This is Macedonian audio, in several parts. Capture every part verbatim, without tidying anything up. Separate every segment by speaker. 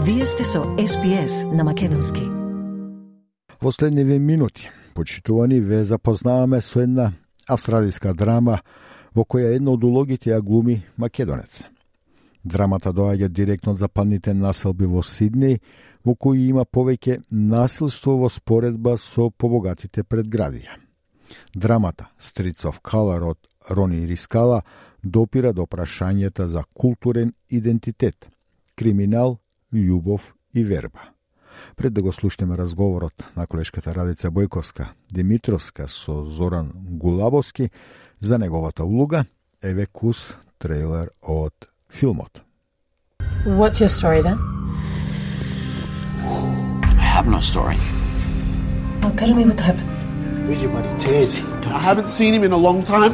Speaker 1: Вие сте со Ес Би Ес на македонски.
Speaker 2: Во следниве минути, почитувани, ве запознаваме со една австралиска драма во која една од улогите ја глуми македонец. Драмата доаѓа директно од западните населби во Сиднеј, во кои има повеќе насилство во споредба со побогатите предградија. Драмата Streets of Colour од Рони Рискала допира до прашањата за културен идентитет, криминал, љубов и верба. Пред да го слушнеме разговорот на колешката Радица Бојковска-Димитровска со Зоран Гулабовски за неговата улога, еве кус трейлер од филмот.
Speaker 3: What's your story then?
Speaker 4: I have no story.
Speaker 3: Oh, tell me what happened.
Speaker 5: Where's your buddy Ted? I haven't seen him in a long time.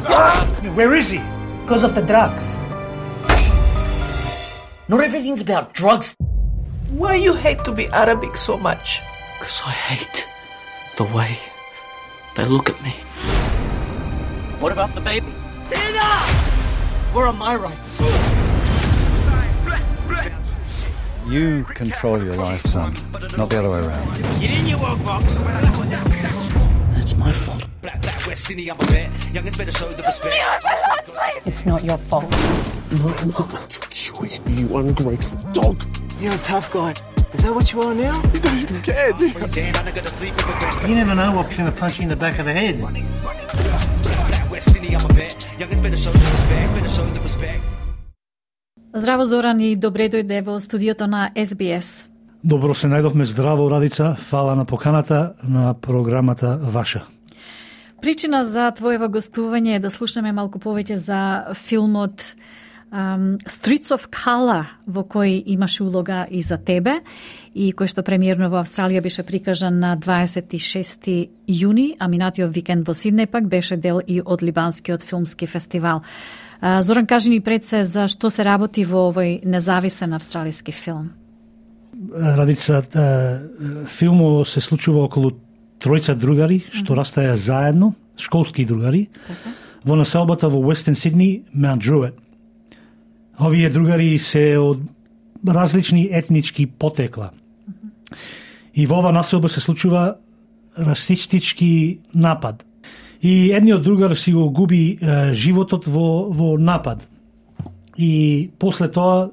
Speaker 6: Where is he?
Speaker 3: Because of the drugs.
Speaker 7: Not everything's about drugs.
Speaker 8: Why you hate to be Arabic so much?
Speaker 4: Because I hate the way they look at me. What about the baby? Tina! Where are my rights?
Speaker 9: You control your life, son, not the other way around.
Speaker 4: Get in your work box. It's my fault.
Speaker 3: It's not your fault.
Speaker 5: No, I'm not going to kill you, you ungrateful dog.
Speaker 8: You're a tough guy. Is that what you are now?
Speaker 5: You don't even care, do you?
Speaker 6: You never know what's going to punch you in the back of the head.
Speaker 10: Здраво, Зоран, и добре дојде во студиото на Ес Би Ес.
Speaker 6: Добро се најдовме, здраво, Радица. Фала на поканата на програмата ваша.
Speaker 10: Причина за твоево гостување е да слушнеме малку повеќе за филмот um, Streets of Colour, во кој имаше улога и за тебе, и кој што премиерно во Австралија беше прикажан на дваесет и шести јуни, а минатиот викенд во Сиднеј пак беше дел и од Либанскиот филмски фестивал. Uh, Зоран, кажи ни пред се за што се работи во овој независен австралиски филм.
Speaker 6: Радица, филмот се случува околу тројца другари што mm-hmm. растаја заедно, школски другари, okay. во населбата во Western Sydney, Mount Druitt. Овие другари се од различни етнички потекла. Mm-hmm. И во ова населба се случува расистички напад. И едниот другар си го губи е, животот во, во напад. И после тоа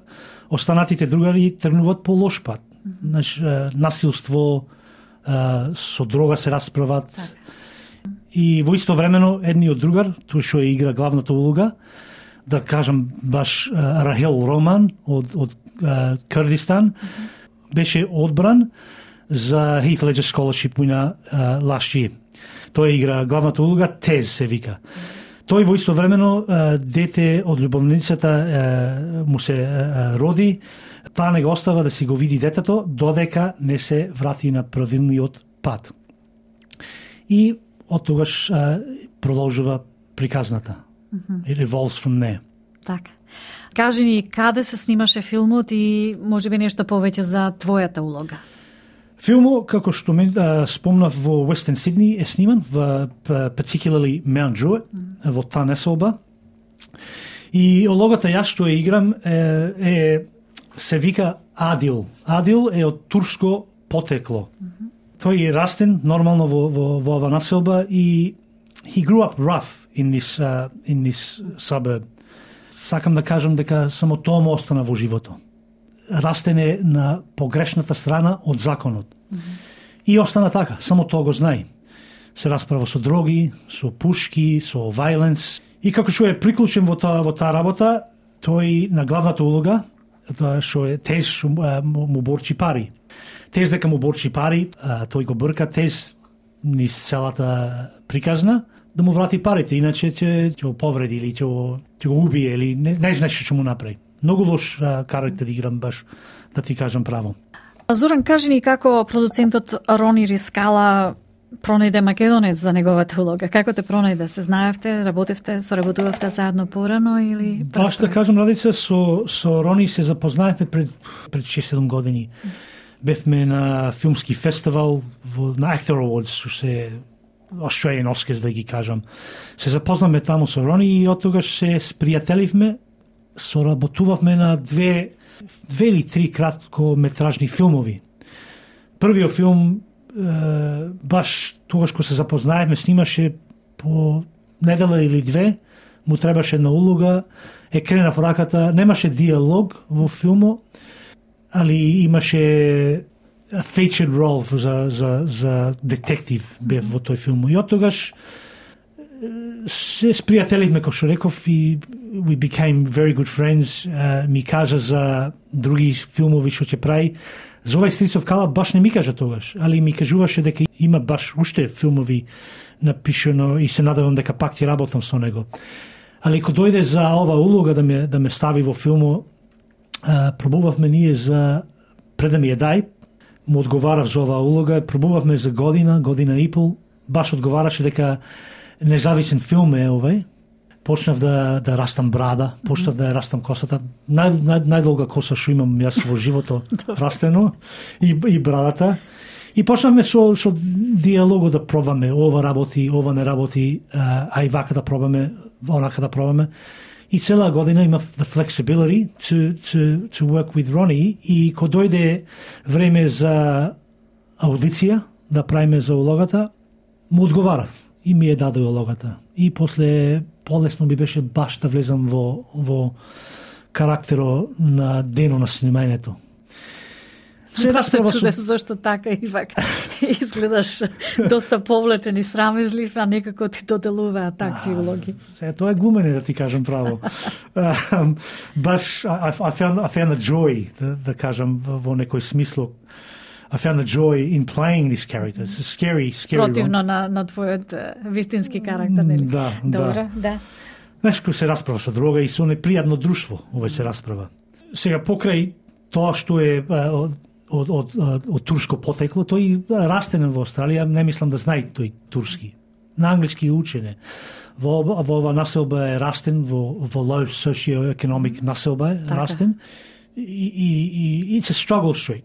Speaker 6: останатите другари тргнуваат по лош пат. Mm-hmm. Знаеш, насилство, е, со дрога се расправат. Так. И во исто времено едниот другар, тој што игра главната улога, да кажам баш е, Рахел Роман од, од е, Курдистан, mm-hmm. беше одбран за Heath Ledger Scholarship на last year. Тој игра главната улога, Тез се вика. Тој во исто времено дете од љубовницата му се роди, таа не го остава да си го види детето додека не се врати на правилниот пат. И од тогаш продолжува приказната. Mm-hmm. It evolves from there.
Speaker 10: Така. Кажи ни каде се снимаше филмот и можеби нешто повеќе за твојата улога.
Speaker 6: Филмот, како што ме спомнав, во Western Sydney е сниман, во particularly Mount Druitt, mm-hmm. во таа населба. И улогата јас што ја играм е, е се вика Адил. Адил е од турско потекло. Mm-hmm. Тој е растен нормално во во во ова населба и he grew up rough in this uh, in this suburb. Сакам да кажам дека само тоа му остана во животот. Растене на погрешната страна од законот. Mm-hmm. И остана така, само тоа го знае. Се расправа со дроги, со пушки, со violence. И како што е приклучен во таа во таа работа, тој на главната улога, тоа што е Тез што му, му борчи пари. Тез дека му борчи пари, а, тој го брка Тез низ целата приказна да му врати парите, иначе ќе ќе го повреди или ќе го, ќе го убие или не, не знаеш што му направи. Многу лош а, карактер играм баш, да ти кажам право.
Speaker 10: Зоран, кажи ни како продуцентот Рони Рискала пронајде македонец за неговата улога. Како те пронајде? Се знаевте, работевте, соработувавте заедно порано или
Speaker 6: баш да кажам, Радица, со со Рони се запознаевме пред пред шест-седум години. Бевме на филмски фестивал во на Actor Awards, што се Australian Oscars, да ги кажам. Се запознаме таму со Рони и од тогаш се спријателивме соработувавме на две, две или три краткометражни филмови. Првиот филм, е, баш тогаш кога се запознаевме, снимаше по недела или две, му требаше една улога, е кренав раката, немаше диалог во филмо, али имаше featured role за, за, за детектив бев во тој филм. И од тогаш се спријателивме, како што реков, и we became very good friends. Uh, ми кажа за други филмови што ќе прави. За овај Streets of Kala баш не ми кажа тогаш, али ми кажуваше дека има баш уште филмови напишано и се надевам дека пак ќе работам со него. Али кога дојде за ова улога да ме, да ме стави во филмо, uh, пробувавме ние за пред да ми ја дај, му одговарав за оваа улога, пробувавме за година, година и пол, баш одговараше дека независен филм е овај. Почнав да, да растам брада, почнав да растам косата. Нај, нај, најдолга коса што имам јас во живото растено, и, и брадата. И почнавме со, со диалогот да пробаме, ова работи, ова не работи, а и вака да пробаме, онака да пробаме. И цела година имав the flexibility to, to, to work with Ronnie. И кога дојде време за аудиција, да правиме за улогата, му одговарав и ми е даде улогата. И после полесно ми беше баш да влезам во, во карактеро на дено на снимањето.
Speaker 10: Се расправа се чудеш зашто така и вака изгледаш доста повлечен и срамежлив, а некако ти доделуваат такви улоги.
Speaker 6: Се, тоа е глумене, да ти кажам право. um, баш, I, I, found, I found a joy, да, да кажам, во некој смисло. I found a joy in playing this character. It's a scary, scary
Speaker 10: Противно
Speaker 6: one.
Speaker 10: на, на твојот вистински карактер, нели?
Speaker 6: Да,
Speaker 10: Добро,
Speaker 6: да.
Speaker 10: да.
Speaker 6: Знаеш, кој се расправа со дрога и со непријатно друштво, овој се расправа. Сега, покрај тоа што е од, од, од, од, од турско потекло, тој растен во Австралија, не мислам да знае тој турски. На англиски учене. Во, во ова населба е растен, во, во low socio-economic населба е
Speaker 10: така.
Speaker 6: Растен. И, и, и it's a struggle street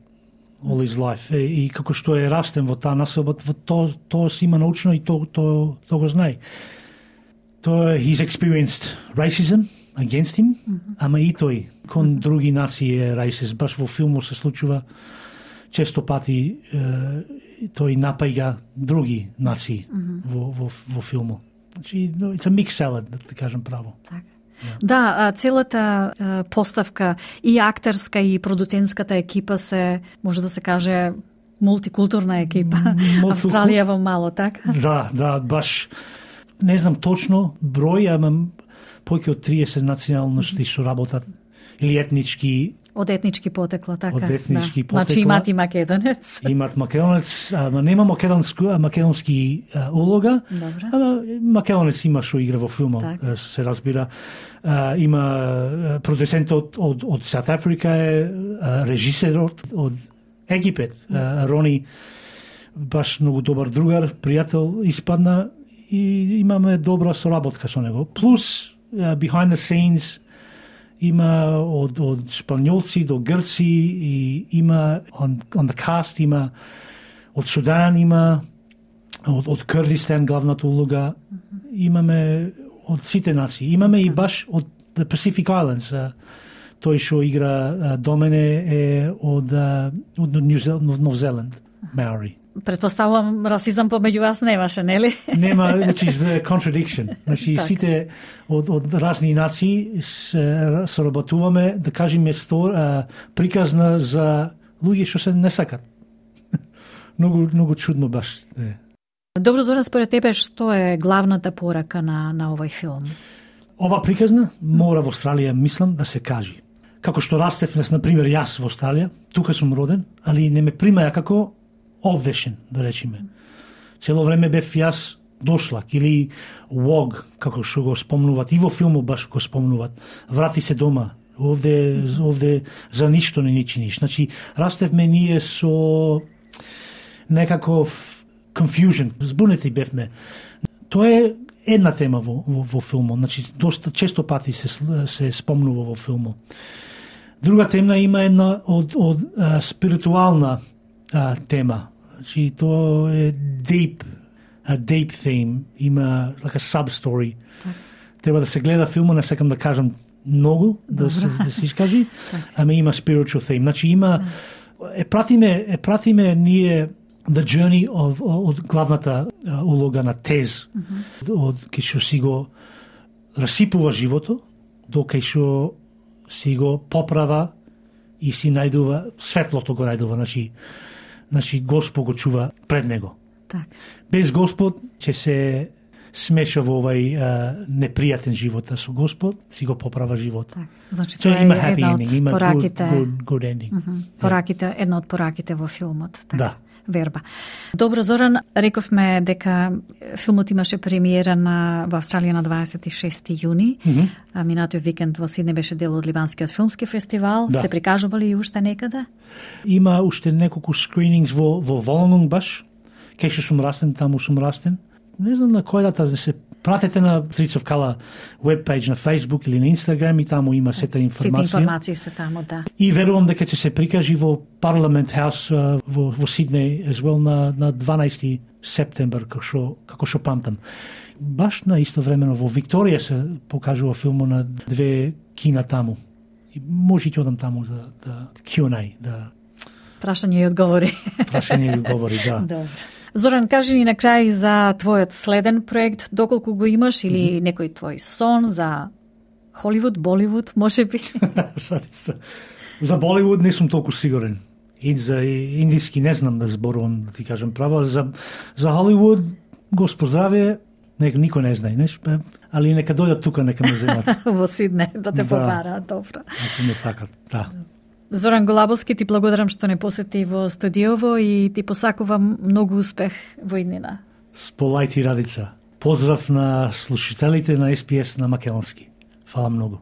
Speaker 6: all his life. И, и како што е растен во таа населба, тоа то си има научно и тоа то, то го знае. Тоа he's experienced racism against him, mm-hmm. ама и тој кон mm-hmm. други нации е racist. Баш во филмот се случува често пати е, тој напаѓа други нации mm-hmm. во, во, во филмот. Значи, it's a mixed salad, да кажам право.
Speaker 10: Така. Да, целата поставка и актерска и продуцентската екипа се, може да се каже, мултикултурна екипа. Мултикул... Австралија во мало, така?
Speaker 6: Да, да, баш не знам точно број, ама повеќе од триесет националности што работат или етнички.
Speaker 10: Од етнички потекла, така.
Speaker 6: Од етнички
Speaker 10: да.
Speaker 6: потекла.
Speaker 10: Значи имат и македонец.
Speaker 6: Имат македонец, ама нема македонски, македонски а, улога.
Speaker 10: Добре.
Speaker 6: Ама македонец има што игра во филмот,
Speaker 10: так.
Speaker 6: се разбира. А, има продуцентот од, од South Africa, е режисерот од Египет, а, Рони, баш многу добар другар, пријател испадна и имаме добра соработка со него. Плюс, uh, behind the scenes, има од, од шпањолци до грци и има on, on the cast, има од Судан, има од, од Курдистан главната улога, имаме од сите нации. Имаме и баш од the Pacific Islands. Тој што игра до мене е од, од Нов Зеланд, Маори.
Speaker 10: Предпоставувам, расизам помеѓу вас немаше, нели?
Speaker 6: Нема, which is the contradiction. Значи, так. Сите од, од разни нации соработуваме, да кажеме, стор, а, приказна за луѓе што се не сакат. многу, многу чудно баш. Е.
Speaker 10: Добро, Зоран, според тебе, што е главната порака на, на овој филм?
Speaker 6: Ова приказна мора во Австралија, мислам, да се кажи. Како што растев, на пример, јас во Австралија, тука сум роден, али не ме примаја како овдешен, да речеме. Цело време бев јас дошлак или вог, како што го спомнуват, и во филмот баш го спомнуват. Врати се дома, овде, овде за ништо не ни чиниш. Значи, растевме ние со некаков confusion, збунети бевме. Тоа е една тема во, во, во филмот, значи, доста често пати се, се спомнува во филмот. Друга тема има една од, од а, спиритуална а, тема. Значи, тоа е deep, a deep theme, има like a sub-story. Так. Треба да се гледа филма, не сакам да кажам многу да се, да се искажи, ама има spiritual theme. Значи има е пратиме е пратиме ние the journey of од главната uh, улога на Тез, mm-hmm. од кај што си го расипува живото до кај што си го поправа и си најдува светлото го најдува, значи значи Господ го чува пред него.
Speaker 10: Так. Без
Speaker 6: Господ ќе се смеша во овај uh, непријатен живот со Господ, си го поправа живот.
Speaker 10: Так. Значи тоа
Speaker 6: има
Speaker 10: е една од
Speaker 6: ending, има
Speaker 10: пораките.
Speaker 6: Good, good, good ending.
Speaker 10: Mm -hmm. Пораките, една од пораките во филмот. Так.
Speaker 6: Да.
Speaker 10: Верба. Добро, Зоран, рековме дека филмот имаше премиера на во Австралија на дваесет и шести јуни. Mm -hmm. А минатиот викенд во Сиднеј беше дел од Ливанскиот филмски фестивал. Да. Се прикажува ли уште некаде?
Speaker 6: Има уште неколку скринингс во во Волонгонг баш. Кај што сум растен, таму сум растен. Не знам на кој дата да се пратете на Streets of Color веб-пејдж на Facebook или на Instagram и таму има сета информација.
Speaker 10: Сета информации се таму, да.
Speaker 6: И верувам дека ќе се прикажи во Parliament House uh, во, во Сиднеј as well на, на дванаесети септембер, како што, како што памтам. Баш на исто времено во Викторија се покажува филмот на две кина таму. И може ќе одам таму за да Q and A, да
Speaker 10: прашање и одговори.
Speaker 6: Прашање и одговори, да.
Speaker 10: Добро. Зоран, кажи ни на крај за твојот следен проект, доколку го имаш, или mm -hmm. некој твој сон за Холивуд, Боливуд, може би?
Speaker 6: За Боливуд не сум толку сигурен. И за индиски не знам да зборувам, да ти кажам право. За, за Холивуд, Господ здраве, нека никој не знае, неш? Али нека дојдат тука, нека ме земат.
Speaker 10: Во Сиднеј, да те
Speaker 6: да.
Speaker 10: побараат, добро.
Speaker 6: Ако ме сакат, да.
Speaker 10: Зоран Голабовски, ти благодарам што не посети во студиово и ти посакувам многу успех во иднина.
Speaker 6: Сполај ти, Радица. Поздрав на слушателите на Ес Би Ес на македонски. Фала многу.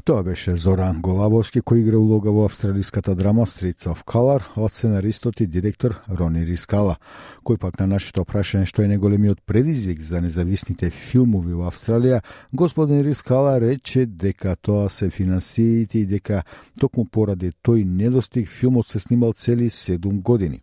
Speaker 2: Тоа беше Зоран Голабовски, кој игра улога во австралиската драма Streets of Color од сценаристот и директор Рони Рискала, кој пак на нашето прашање што е најголемиот предизвик за независните филмови во Австралија, господин Рискала рече дека тоа се финансиите и дека токму поради тој недостиг филмот се снимал цели седум години.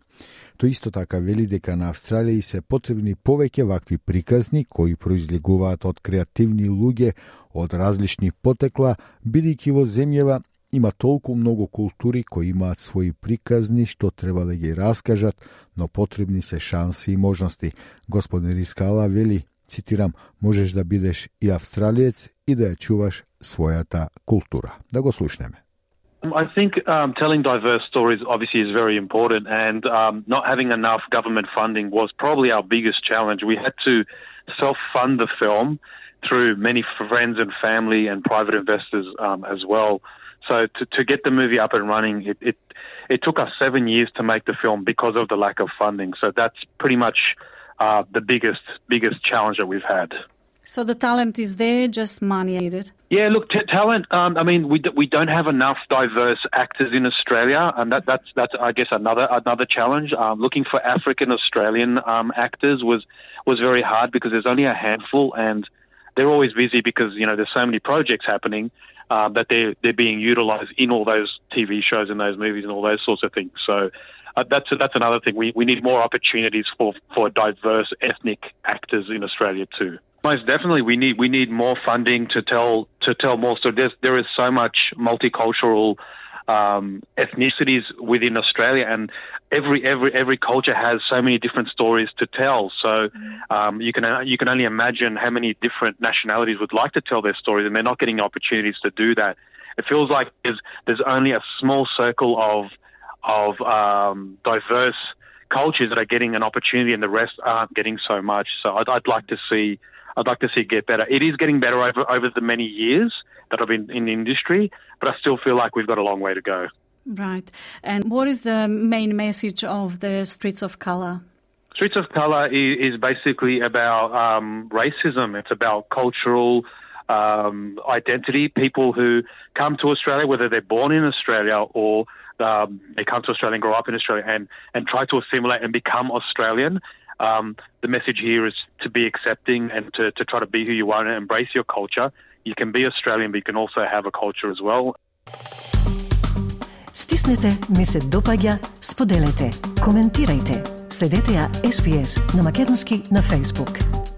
Speaker 2: Тој исто така вели дека на Австралија се потребни повеќе вакви приказни кои произлегуваат од креативни луѓе од различни потекла, бидејќи во земјава има толку многу култури кои имаат своји приказни што треба да ги раскажат, но потребни се шанси и можности. Господин Рискала вели, цитирам, можеш да бидеш и австралиец и да ја чуваш својата култура. Да го слушнеме.
Speaker 11: I think um, telling diverse stories obviously is very important, and um, not having enough government funding was probably our biggest challenge. We had to self-fund the film through many friends and family and private investors um, as well. So to, to get the movie up and running, it, it it took us seven years to make the film because of the lack of funding. So that's pretty much uh, the biggest biggest challenge that we've had.
Speaker 10: So the talent is there, just money needed?
Speaker 11: Yeah, look, t- talent, um, I mean, we d- we don't have enough diverse actors in Australia, and that, that's, that's I guess, another another challenge. Um, looking for African-Australian um, actors was, was very hard because there's only a handful, and they're always busy because, you know, there's so many projects happening uh, that they're, they're being utilised in all those T V shows and those movies and all those sorts of things. So uh, that's that's another thing. We, we need more opportunities for, for diverse ethnic actors in Australia too. Most definitely, we need we need more funding to tell to tell more stories. There's, there is so much multicultural um, ethnicities within Australia, and every every every culture has so many different stories to tell. So um, you can you can only imagine how many different nationalities would like to tell their stories, and they're not getting opportunities to do that. It feels like there's there's only a small circle of of um, diverse cultures that are getting an opportunity, and the rest aren't getting so much. So I'd, I'd like to see. I'd like to see it get better. It is getting better over over the many years that I've been in the industry, but I still feel like we've got a long way to go.
Speaker 10: Right. And what is the main message of the Streets of Color?
Speaker 11: Streets of Color is, is basically about um, racism. It's about cultural um, identity. People who come to Australia, whether they're born in Australia or um, they come to Australia and grow up in Australia and, and try to assimilate and become Australian. Um, the message here is to be accepting and to, to try to be who you are and embrace your culture. You can be Australian, but you can also have a culture as well.
Speaker 1: Стиснете, ми се допаѓа, споделете, коментирајте. Следете ја Ес Би Ес на македонски на Facebook.